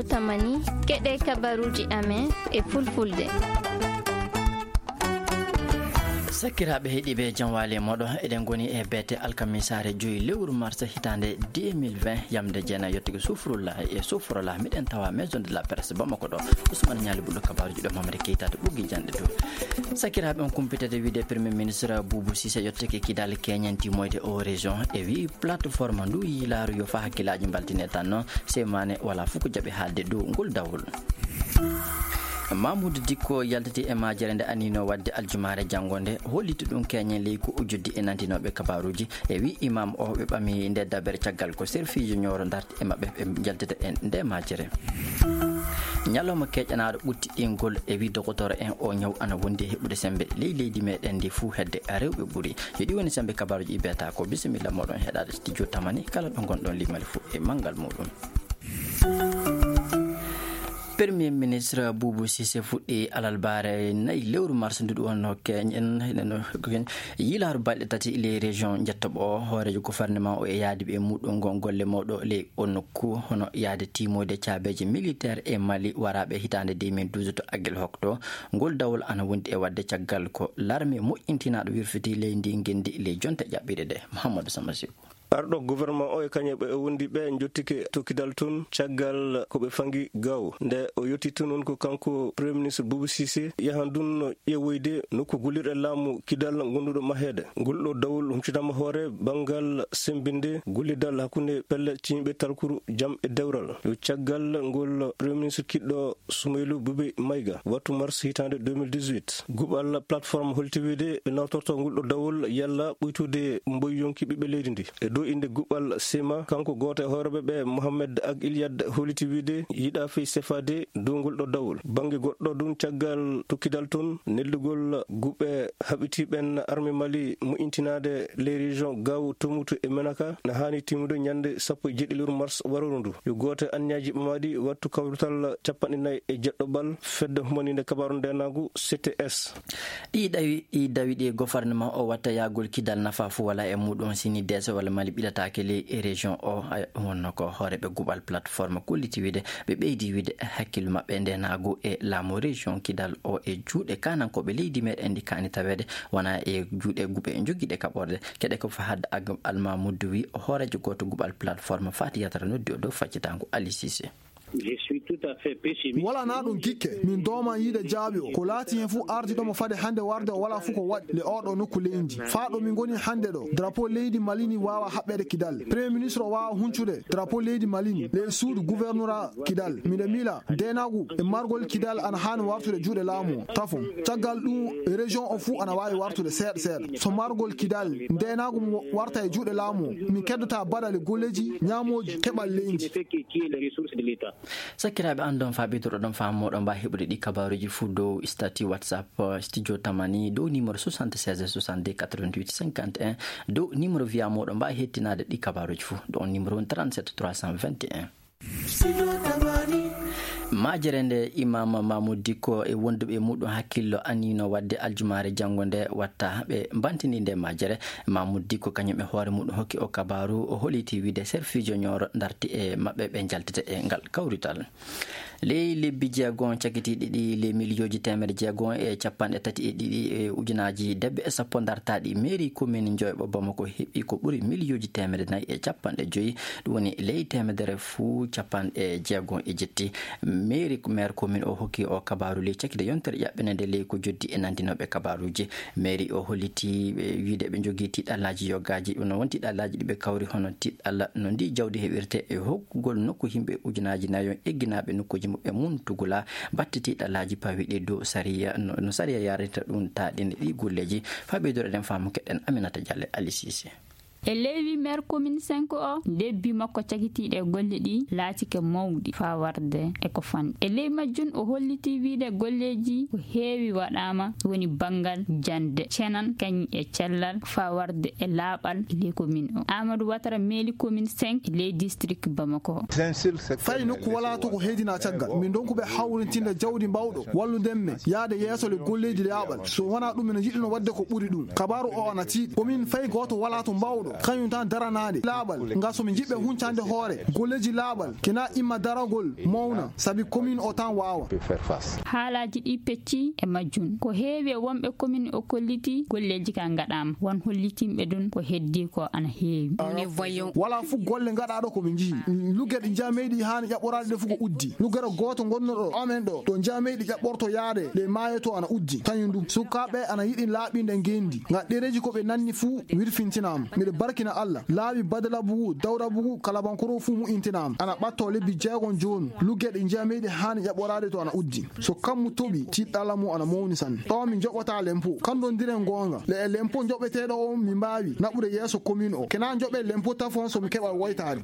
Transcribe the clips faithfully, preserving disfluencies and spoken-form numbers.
Tamani, keɗe kabaruuji amen e fulfulde. Sakiraaɓe heɗiiɓe, jam waali e mooɗon. Eɗen ngoni e beete alkamisaare joyi lewru mars hitaande deux mille vingt, yamde jeenayi yettude sufrullah e sufrullah. Miɗen tawa Maison de la Presse Bamako ɗo. Ousmane Ñaali Bullo, kabaruuji ɗo Mamadi Keita to ɓoggi janɗe to. Sakiraaɓe, on kumpitede wiide Premier Ministre Boubou Cissé yottake kidal keñen timoyde o région e wi plateforme ndu yiilaaru yo fa hakkilaaji mbaltine tan noon. Semane wala fof ko jaɓi haalde dow ngol dawol. Mamoudou Dicko yaltiti e majere nde anino wadde aljumaare janngo nde, holliti ɗum keñen ley ko o joddi e nantinooɓe kabaruuji. E wi imam o, ɓe ɓami nde dabere caggal ko serfiiji ñooro darti e maɓɓe, ɓe jaltita e nde majere. Ñalawma keƴanaaɗo ɓuttiɗingol e wi dokotooro en o ñaw ana wondi e heɓude sembe ley leydi meɗen ndi fuu hedde rewɓe ɓuri. Yo ɗi woni sembe kabaruuji ɗi beeta ko. Bisimilla moɗon heɗaade studio Tamani kala ɗo ngonɗon limali fuu e manngal muɗum. Premier ministre Boubou Cissé fuɗɗi alarbaare nayi lewru mars ndu ɗum wonno keñen yiilaaru balɗe tati ley région Njettoɓo o. Hooreejo gouvernement o e yaadiiɓe muɗum ngon golle mawɗo ley o nokku, hono yaade timoyde caabeeje militaire e Mali waraaɓe hitaande deux mille douze to Aguelhok to. Ngol dawol ana wondi e wadde caggal ko larme moƴƴintinaaɗo wirfiti ley ndi ngenndi ley jonte ƴaɓɓiiɗe ɗe. Mouhamadou Samba Sow. Arɗo gouvernement o e kañum ɓe o wondi ɓe njottike to kidal toon caggal ko ɓe fangi gaw. Nde o yetti toon on ko kanko Premier Ministre Boubou Cissé yahan ɗum ƴeewoyde nokku gollirɗe laamu kidal ngonduɗo maheede. Ngol ɗo dawol humpitama hoore banngal sembinde gollidal hakkunde pelle ciñɓe talkuru jam e dewral. Yo caggal ngol Premier Ministre kiɗɗo Soumeylou Boubèye Maïga, wattu mars hitaande deux mille dix-huit. Guɓal plateforme holti wiide ɓe nawtorto ngol ɗo dawol yalla ɓuytude mboy yonki ɓiɓɓe leydi ndi. E dow innde guɓal sema, kanko gooto e hooreeɓe ɓe, Mohamed Ag Iliad, holliti wiide yiɗa fey sefaade dow ngol ɗo dawol. Bannge goɗɗo ɗum caggal tokkidal toon, neldugol guɓe haɓitiiɓen armée Mali moƴƴintinaade les régions Gao, Tombouctou e Menaka na haani timmude ñande sappo e jeeɗiɗi lewru mars warooru ndu. Yo gooto e anniyaji ɓamaaɗi wattu kawrital capanɗe nayi e jeɗɗo ɓal fedde humaniinde kabaaru ndeenaagu C T S. Ɗi ɗawi, ɗi dawi ɗi gouvernement o watta yaagol kidal nafa fo wala e muɗum sini deese wala Mali ɓilataake ley e région o. Ay, wonno ko hooreeɓe guɓal plateforme kolliti wiide ɓe ɓeydi wiide hakkille maɓɓe ndeenaagu e laamu région kidal o e juuɗe kanankooɓe leydi meɗen ndi kaani taweede wona e juuɗe guɓe jogiiɗe kaɓorde. Keɗe ko Fahad Ag Almamoudou wi o hooreejo gooto guɓal plateforme faati yatara noddi o dow faccitango Ali Cissé. Je suis tout à fait pessimiste. Wala na ɗum kikke, min dooma yiide jaaɓi o. Ko laati hen fof ardi ɗomo fade hannde warde o wala fof ko waɗi le oɗo nokku leydi. Faa ɗo min ngoni hannde ɗo, drapeau leydi Mali ni waawa haɓɓeede kidal. Premier ministre o waawa huncude drapeau leydi Mali ni le suudu gouverneur kidal. Miɗo miila ndeenaagu e margol kidal ana haani wartude juuɗe laamu o. Tafo. Caggal ɗum, région o fof ana waawi wartude seeɗa seeɗa. So margol kidal, ndeenaagu mo warta e juuɗe laamu o, min keddata baɗale golleeji, ñaamooji, keɓal leydi. Sakiraaɓe, an ɗon faa ɓeyduɗo ɗon faamu moɗon mbaa heɓude ɗi kabaaruuji fuu dow statut WhatsApp, eh, Studio Tamani dow numéro soixante-seize soixante-deux quatre-vingt-huit cinquante et un, dow numéro via moɗon mbaa hettinaade ɗi kabaaruuji fuu. Ɗo on numéro woni trente-sept trois cent vingt et un. Majere nde Imam Mamoud Dikko e wonduɓe muɗum hakkillo anniino waɗde aljumaare janngo nde watta ɓe mbantini nde majere. Mamoud Dikko kañum e hoore muɗum hokki o kabaaru, o holiti wiide serfiijo Ñooro darti e maɓɓe ɓe njaltete e ngal kawrital. Ley lebbi jeegon cakitiiɗi ɗi, ley miliyooji teemedde jeegon e capanɗe tati e ɗiɗi e ujunaaji debbe e sappo dartaaɗi mairie commune Njoyɓo Bamako heɓi ko ɓuri miliyooji teemedde nayi e capanɗe joyi. Ɗum woni ley teemedere fuu capanɗe jeegon e jetti. Mairie, maire commune o hokki o kabaaru ley cakkitte yontere ƴaɓɓinde nde ley ko joddi e nanndinooɓe kabaaruuji. Mairie o holliti ɓe wiide ɓe njogii tiiɗallaaji yogaaji. Ɗum no won tiiɗallaaji ɗi ɓe kawri hono tiiɗalla no ndi jawdi heɓirte e hokkugol nokku yimɓe ujunaaji nayo egginaaɓe nokkuuji muɓɓen mum tugula, batte tiiɗallaaji pawiiɗi dow sariya, no, no sariya yarinta ɗum taaɗinde ɗi golleeji. Faa ɓeydude eɗen faamu keɗen Aminata Diallo e Ali Cissé. E lewru maire commune cinq o, lebbi makko cakitiiɗi e golle ɗi laatike mawɗi faa warde e ko fanɗi. E ley majjum o holliti wiide golleeji ko heewi waɗaama, woni banngal jannde, cenan, kañ e cellal faa warde e laaɓal e ley commune o. Amadou Ouattara meeli commune cinq e ley district Bamako. Fay nokku walaa to ko heedinaa caggal. Min ndonku ɓe hawrintinde jawdi mbawɗo wallude men yaade yeeso le golleeji laaɓal. So wonaa ɗum, min njiɗuno waɗde ko ɓuri ɗum. Kabaaru o ana tiiɗi. Ko min fay gooto walaa to mbawɗo Kañum tan daranaade laaɓal, ngal so mi jiɓɓe huncande hoore golleeji laaɓal, kena imma daragol mawna, sabi commune o tan waawa. Haalaaji ɗi pecci e majjum. Ko heewi e wonɓe commune o kolliti golleeji ka ngaɗaama. Won hollitinɓe ɗum ko heddi ko ana heewi. Wala fof golle ngaɗaaɗo ko ɓe njihi. Lugge ɗi njiya meyɗi haani ƴaɓɓoraade ɗe fof ko uddi. Luggere gooto ngonnoɗo amen ɗo, ɗo njiya meyɗi ƴaɓɓorto yaade ɗe maayo to ana uddi. Kañum ɗum, sukaaɓe ana yiɗi laaɓinde ngenndi. Ngam ɗereeji ko ɓe nanni fuu wirfintinaama. Miɗo barkina Allah. Laawi Badalabugu, Dawrabugu, Kalabankoro fuu mu'intinaama. Ana ɓatto lebbi jeegom jooni. Lugge ɗi njiya meyɗi haani ƴaɓɓoraade to ana uddi. So kammu toɓi, tiɗɗalla mum ana mawni sanne. Ɗo mi joɓata lempo. Kandondiren goonga. Le e lempo joɓeteeɗo o mi mbaawi naɓude yeeso commune o. Kena joɓe lempo tafon so mi keɓa woytaade.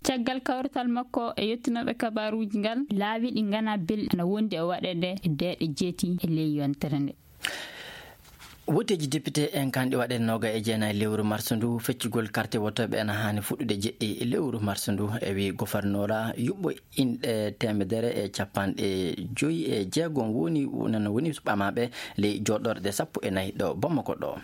Caggal kawrital makko e yettinooɓe kabaruuji ngal, laawi ɗi ngana belɗi ana wondi e waɗeede e deeɗe jeeti e ley yontere nde. Woteeji député en kanɗi waɗe nooga e jeenayi lewru mars ndu, feccugol karte wotooɓe ena haani fuɗɗude jeɗɗi lewru mars ndu. E wi gofarnora yuɓɓo inɗe teemedere e capanɗe joyi e jeegom woni, nana woni ɓamaaɓe ley jooɗorɗe sappo e nayi ɗo Bamako ɗo.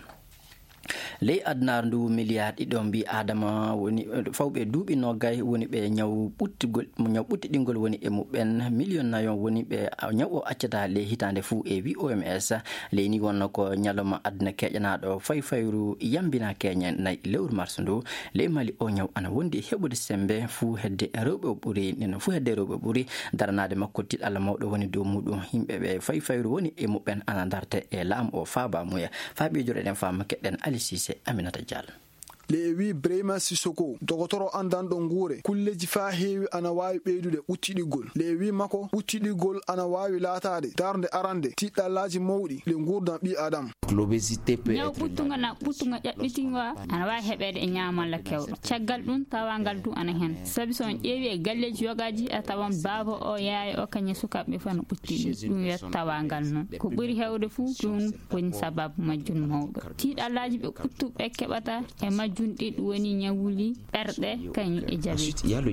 Ley adunaaru ndu, miliyaar ɗiɗo mbi Adama woni fawɓe duuɓi noogay woni ɓe ñaw ɓuttigol, ñaw ɓuttiɗingol woni e muɓɓen, miliyon nayo woni ɓe ñaw o accata ley hitaande fuu e wi O M S. Ley ni wonno ko ñalawma aduna keeƴanaaɗo fayfayru yambina keeñen nayi lewru mars ndu. Ley Mali o ñaw ana wondi heɓude sembe fuu hedde rewɓe o ɓuri, nden fuu hedde rewɓe o ɓuri. Daranaade makko tiɗalla mawɗo woni dow muɗum. Yimɓe ɓe fayfayru woni e muɓɓen ana darte e laamu o faaba muya. Faa ɓeydoreɗen faama keɗɗen Ali Sise, Aminata Diallo. Le e wi Brahima Sissoko, dogotoro anndanɗo nguure, kulleeji faa heewi ana waawi ɓeydude ɓuttiɗigol. Le e wi makko, ɓuttiɗigol ana waawi laataade darnde arande tiɗɗallaaji mawɗi le nguurndam ɓii Adam. Ñaw ɓuttungo na ɓuttungo ƴaɓɓitingo ana waawi heɓeede e ñaamalla kewɗo. Caggal ɗum, tawaangal du ana heen. Sabi so on ƴeewi e galleeji yogaaji, a tawan baaba o, yaaya o, kañum e sukaaɓe fof ana ɓuttiɗi. Ɗum wiyata tawaangal noon. Ko ɓuri heewde fuu, ɗum woni sababu majjum mawɗo. Tiiɗallaaji ɓe ɓuttuɓe keɓata e majjum ɗi, ɗum woni ñawuli ɓerɗe, kañum e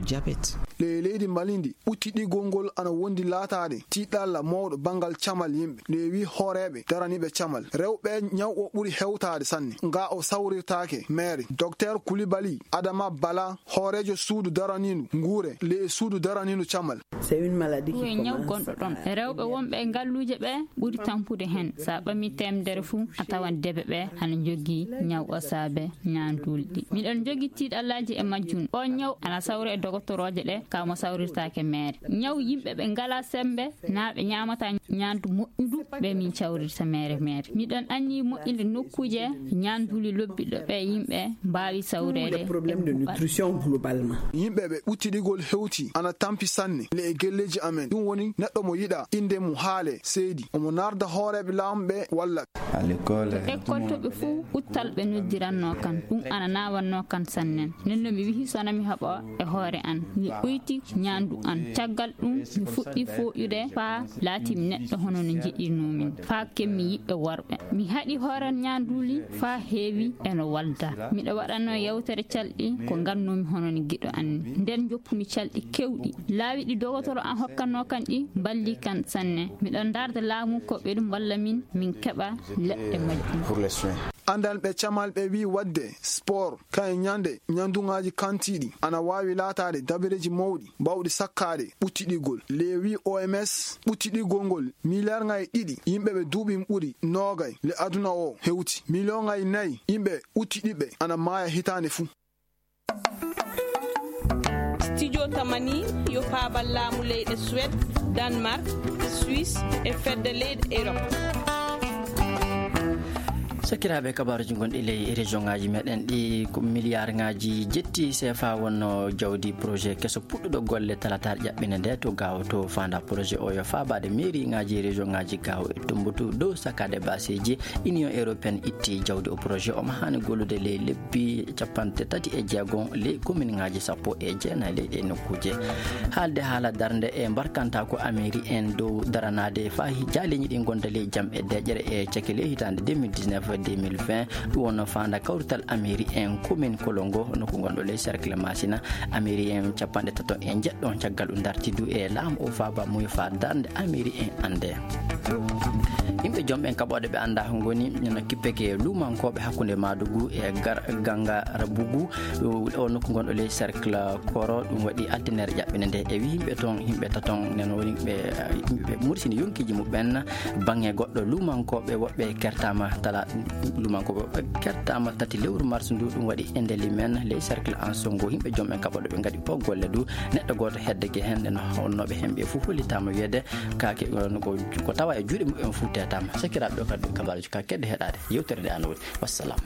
jabet. Le leydi Mali ndi, ɓuttiɗigol ngol ana wondi laataade tiiɗalla mawɗo banngal camal yimɓe. Le wi hooreeɓe daraniiɓe camal. Rewɓe ñaw o ɓuri hewtaade sanne. Nga o sawrirtaake meere. Docteur Koulibaly Adama Bala, hooreejo suudu daraniindu nguure, le e suudu daraniindu camal. Ɗum e ñaw gonɗo ɗon. Rewɓe wonɓe e ngalluuje ɓe ɓuri tampude heen. Sa ɓami teemedere fuu, a tawan debe ɓe ana njogii ñaw o saabe ñaanduuli ɗi. Miɗon njogi tiiɗallaaji e majjum. O ñaw ana sawra e dogotorooje ɗe, ka mo sawrirtaake meere. Ñaw yimɓe ɓe ngalaa sembe, naa ɓe ñaamataa ñaandu moƴƴundu, ɓe min cawrirta meere meere. Miɗon anni moƴƴinde nokkuuje ñaanduuli lobbiɗo ɓe yimɓe mbaawi sawreede e nutrition globalement. Yimɓe ɓe ɓuttiɗigol hewti ana tampi sanne le e gelleeji amen. Ɗum woni neɗɗo mo yiɗa innde mum haale seedi. Omo narda hooreeɓe laamɓe walla. École. To école to ɓe fuu ɓuttal ɓe noddirannoo kan. Ɗum ana naawannoo kan sannen. Nden no mi wihi sona mi haɓa e hoore an. Mi ɓoyti ñaandu an. Caggal ɗum, mi fuɗɗi fooƴude faa laati mi neɗɗo hono no njiɗirnoo min. Faa kemmi yiɓɓe worɓe. Mi haɗi hooran ñaanduuli faa heewi e no walda. Miɗo waɗanoo yewtere calɗi ko ngannoomi hono no giɗo an ni. Nden njoppumi calɗi kewɗi. Laawi ɗi dogotoro an hokkannoo kan ɗi mballi kan sanne. Miɗo ndaarda laamu ko ɓe ɗum mballa min, min keɓa leɗɗe majjum. Anndanɓe camal ɓe wi'i waɗde sport, kañum ñande ñandugaaji kantiiɗi, ana waawi laataade dabareeji mawɗi baawɗi sakkaade ɓuttiɗigol. Le wi'i O M S, ɓuttiɗigol ngol, miliyaarŋaaji ɗiɗi yimɓe ɓe duuɓi ɓuri noogay le aduna o hewti. Miliyoŋaaji nayi yimɓe ɓuttiɗiiɓe ana maaya hitaande fuu. Studio Tamani yo faabal laamu leyɗe Suède, Danemark, Suisse e fedde leyɗe Europe. Sakiraaɓe, kabaaruuji gonɗi ley région ŋaaji meɗen ɗi, ko miliyaar ŋaaji jetti C F A wonno jawdi projet keso puɗɗuɗo golle talatar ƴaɓɓinde nde to Gaawo to. Faanda projet o yo faabaade mairie ŋaaji région ŋaaji Gaawo e Tumbatu dow sakkaade baaseeji. Union européenne itti jawdi o projet omo haani gollude ley lebbi capanɗe tati e jeegom ley commune ŋaaji sappo e jeenayi ley ɗe nokkuuje. Haalde haala darnde e mbarkanta ko amiri en dow daranaade faa jaaleeji ɗi ngonda ley jam e deeƴere e cakile hitaande deux mille dix-neuf. deux mille vingt. Ɗum wonno faanda kawrital amiri en commune Kolongo, nokku gonɗo ley cercle Masina. Amiri en capanɗe tato e njeɗɗo on caggal ɗum darti du e laamu o faaba muyo fa darnde amiri en annde. Yimɓe jom ɓen kaɓooɗe ɓe annda ngoni no kippeke luumankooɓe hakkunde Maadugu e gar ganga Rabugu. O nokku gonɗo ley cercle Koro, ɗum waɗi altinere ƴaɓɓinde nde. E wi yimɓe ton, yimɓe taton nen woni ɓe, yimɓe mursini yonkiiji muɓɓen. Bange goɗɗo luumankooɓe woɓɓe kertama tala, luumankooɓe woɓɓe kertama tati lewru mars ndu, ɗum waɗi e ndeli men ley cercle Ansongo. Yimɓe jom ɓen kaɓooɗe ɓe ngaɗi o golle du. Neɗɗo gooto hedde ge hen, nden honnooɓe hen ɓe fof hollitaama wiyeede kaake, ko, ko tawa e juuɗe muɓɓen fof teetaama. Sakiraaɓe, ɗo kadi kabaaruji ka kedde heɗaade yewtere nde an woni. Wassalam.